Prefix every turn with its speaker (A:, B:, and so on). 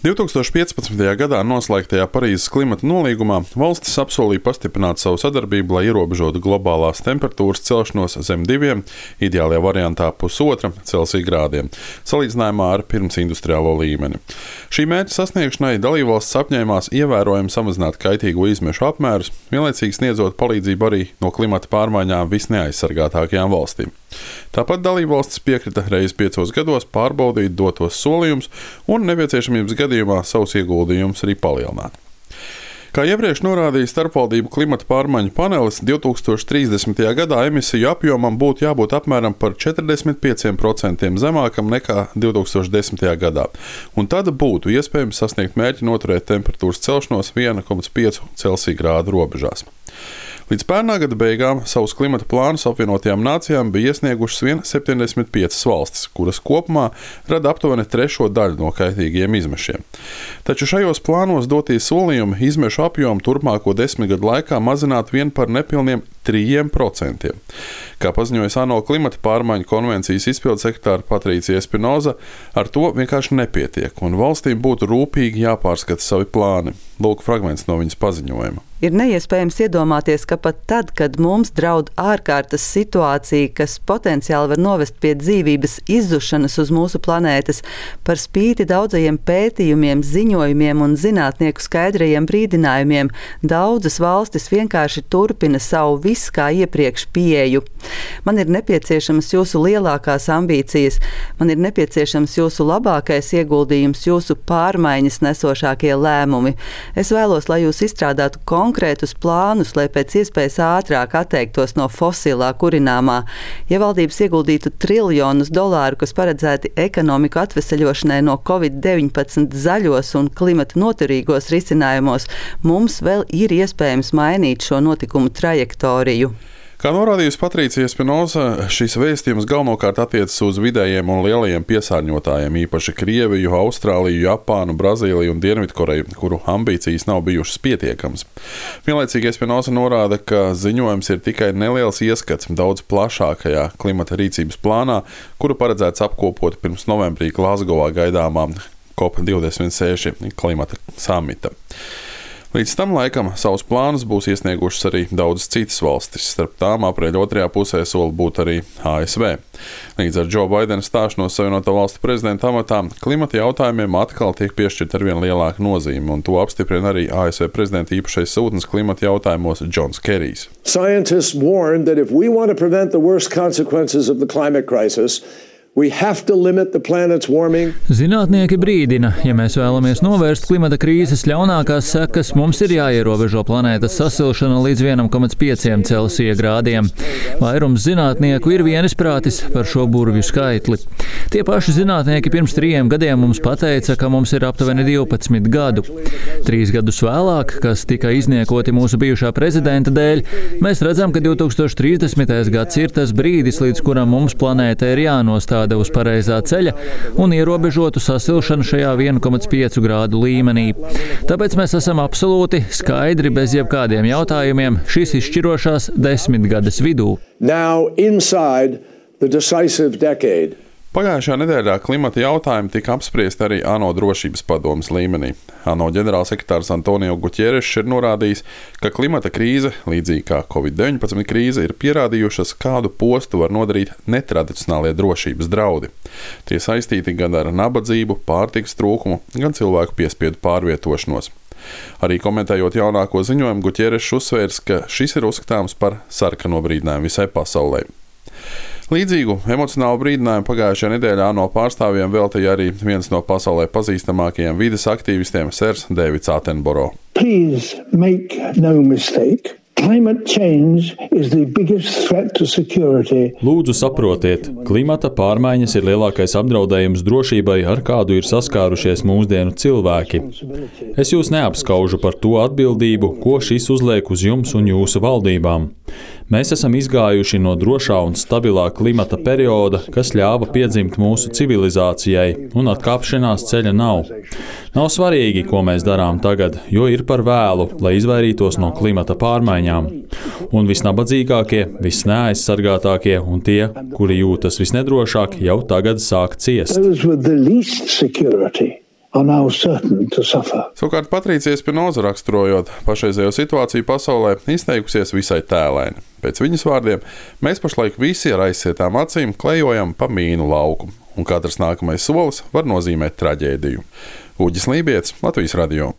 A: 2015. gadā noslēgtajā Parīzes klimata nolīgumā valstis apsolīja pastiprināt savu sadarbību, lai ierobežotu globālās temperatūras celšanos zem 2, ideālajā variantā 1,5 Celsija grādiem, salīdzinājumā ar pirmsindustriālo līmeni. Šī mērķa sasniegšanai dalībvalstis apņēmās ievērojami samazināt kaitīgo izmešu apmērus, vienlaicīgi sniedzot palīdzību arī no klimata pārmaiņām visneaizsargātākajām valstīm. Tāpat dalībvalstis piekrita reiz 5 gados pārbaudīt dotos solījumus un nepieciešamības gadījumā savus ieguldījumus arī palielināt. Kā iepriekš norādīja starpvaldību klimata pārmaiņu panelis, 2030. gadā emisiju apjomam būtu jābūt apmēram par 45% zemākam nekā 2010. gadā, un tad būtu iespējams sasniegt mērķi noturēt temperatūras celšanos 1,5 Celsija grādu robežās. Līdz pērnā gada beigām savus klimata plānus apvienotajām nācijām bija iesniegušas vien 75 valstis, kuras kopumā rada aptuveni 1/3 daļu no kaitīgiem izmešiem. Taču šajos plānos dotie solījumi izmešu apjomu turpmāko 10 gadu laikā mazināt vien par nepilniem 3%. Kā paziņoja ANO klimata pārmaiņu konvencijas izpildes sekretāre Patricija Espinoza, ar to vienkārši nepietiek, un valstīm būtu rūpīgi jāpārskata savi plāni. Lūk fragments no viņas paziņojuma.
B: Ir neiespējams iedomāties, ka pat tad, kad mums draud ārkārtas situācija, kas potenciāli var novest pie dzīvības izzušanas uz mūsu planētas, par spīti daudzajiem pētījumiem, ziņojumiem un zinātnieku skaidrajiem brīdinājumiem, daudzas valstis vienkārši turpina savu visu kā iepriekš pieeju. Man ir nepieciešamas jūsu lielākās ambīcijas, man ir nepieciešams jūsu labākais ieguldījums, jūsu pārmaiņas nesošākie lēmumi. Es vēlos, lai jūs izstrādātu konkrētus plānus, lai pēc iespējas ātrāk atteiktos no fosilā kurināmā. Ja valdības ieguldītu triljonus dolāru, kas paredzēti ekonomiku atveseļošanai no Covid-19 zaļos un klimata noturīgos risinājumos, mums vēl ir iespējams mainīt šo notikumu trajektoriju.
A: Kā norādījusi Patricija Espinoza, šis vēstījums galvenokārt attiecas uz vidējiem un lielajiem piesārņotājiem, īpaši Krieviju, Austrāliju, Japānu, Brazīliju un Dienvidkoreju, kuru ambīcijas nav bijušas pietiekamas. Vienlaicīgi Espinoza norāda, ka ziņojums ir tikai neliels ieskats daudz plašākajā klimata rīcības plānā, kuru paredzēts apkopot pirms novembrī Glazgovā gaidāmā COP26 klimata samita. Līdz tam laikam savus plānus būs iesniegušas arī daudzas citas valstis, starp tām aprīļa otrajā pusē sola būt arī ASV. Līdz ar Džo Baidena stāšanos Savienoto Valstu prezidenta amatā klimata jautājumiem atkal tiek piešķirta arvien lielāka nozīme, un to apstiprina arī ASV prezidenta īpašais sūtnis klimata jautājumos Džons Kerijs.
C: Scientists warn that if we want to prevent the worst consequences of the climate crisis, we have to limit the planet's warming.
D: Zinātnieki brīdina, ja mēs vēlamies novērst klimata krīzes ļaunākās sekas, mums ir jāierobežo planētas sasilšana līdz 1,5 Celsija grādiem. Vairums zinātnieku ir vienisprātis par šo burvju skaitli. Tie paši zinātnieki pirms 3 gadiem mums pateica, ka mums ir aptuveni 12 gadu. 3 gadus vēlāk, kas tika izniekoti mūsu bijušā prezidenta dēļ, mēs redzam, ka 2030. gads ir tas brīdis, līdz kuram mums planēta ir jānostāda uz pareizā ceļa un ierobežotu sasilšanu šajā 1,5 grādu līmenī. Tāpēc mēs esam absolūti skaidri bez jebkādiem jautājumiem šīs izšķirošās 10 gadas vidū.
C: Now inside the decisive decade.
A: Pagājušajā nedēļā klimata jautājumi tika apspriesti arī ANO drošības padomes līmenī. ANO ģenerālsekretārs Antonio Guterres ir norādījis, ka klimata krīze, līdzīgi kā Covid-19 krīze, ir pierādījušas, kādu postu var nodarīt netradicionālie drošības draudi. Tie saistīti gan ar nabadzību, pārtikas trūkumu, gan cilvēku piespiedu pārvietošanos. Arī komentējot jaunāko ziņojumu, Guterres uzsvērs, ka šis ir uzskatāms par sarkano brīdinājumu visai pasaulē. Līdzīgu emocionālu brīdinājumu pagājušajā nedēļā ANO pārstāvjiem veltīja arī viens no pasaulē pazīstamākajiem vides aktīvistiem, Sirs Deivids Attenborough.
E: Please make no mistake. Climate change is the biggest threat to security.
F: Lūdzu saprotiet, klimata pārmaiņas ir lielākais apdraudējums drošībai, ar kādu ir saskārušies mūsdienu cilvēki. Es jūs neapskaužu par to atbildību, ko šis uzliek uz jums un jūsu valdībām. Mēs esam izgājuši no drošā un stabilā klimata perioda, kas ļāva piedzimt mūsu civilizācijai, un atkāpšanās ceļa nav. Nav svarīgi, ko mēs darām tagad, jo ir par vēlu, lai izvairītos no klimata pārmaiņām. Un visnabadzīgākie, visneaizsargātākie un tie, kuri jūtas visnedrošāk, jau tagad sāk ciest.
E: are now certain to suffer.
A: Savukārt Patricija Spinoza raksturojot pašreizējo situāciju pasaulē, izteikusies visai tēlaini. Pēc viņas vārdiem, mēs pašlaik visi ar aizsietām acīm klejojam pa mīnu lauku, un katrs nākamais solis var nozīmēt traģēdiju. Uģis Lībietis, Latvijas radio.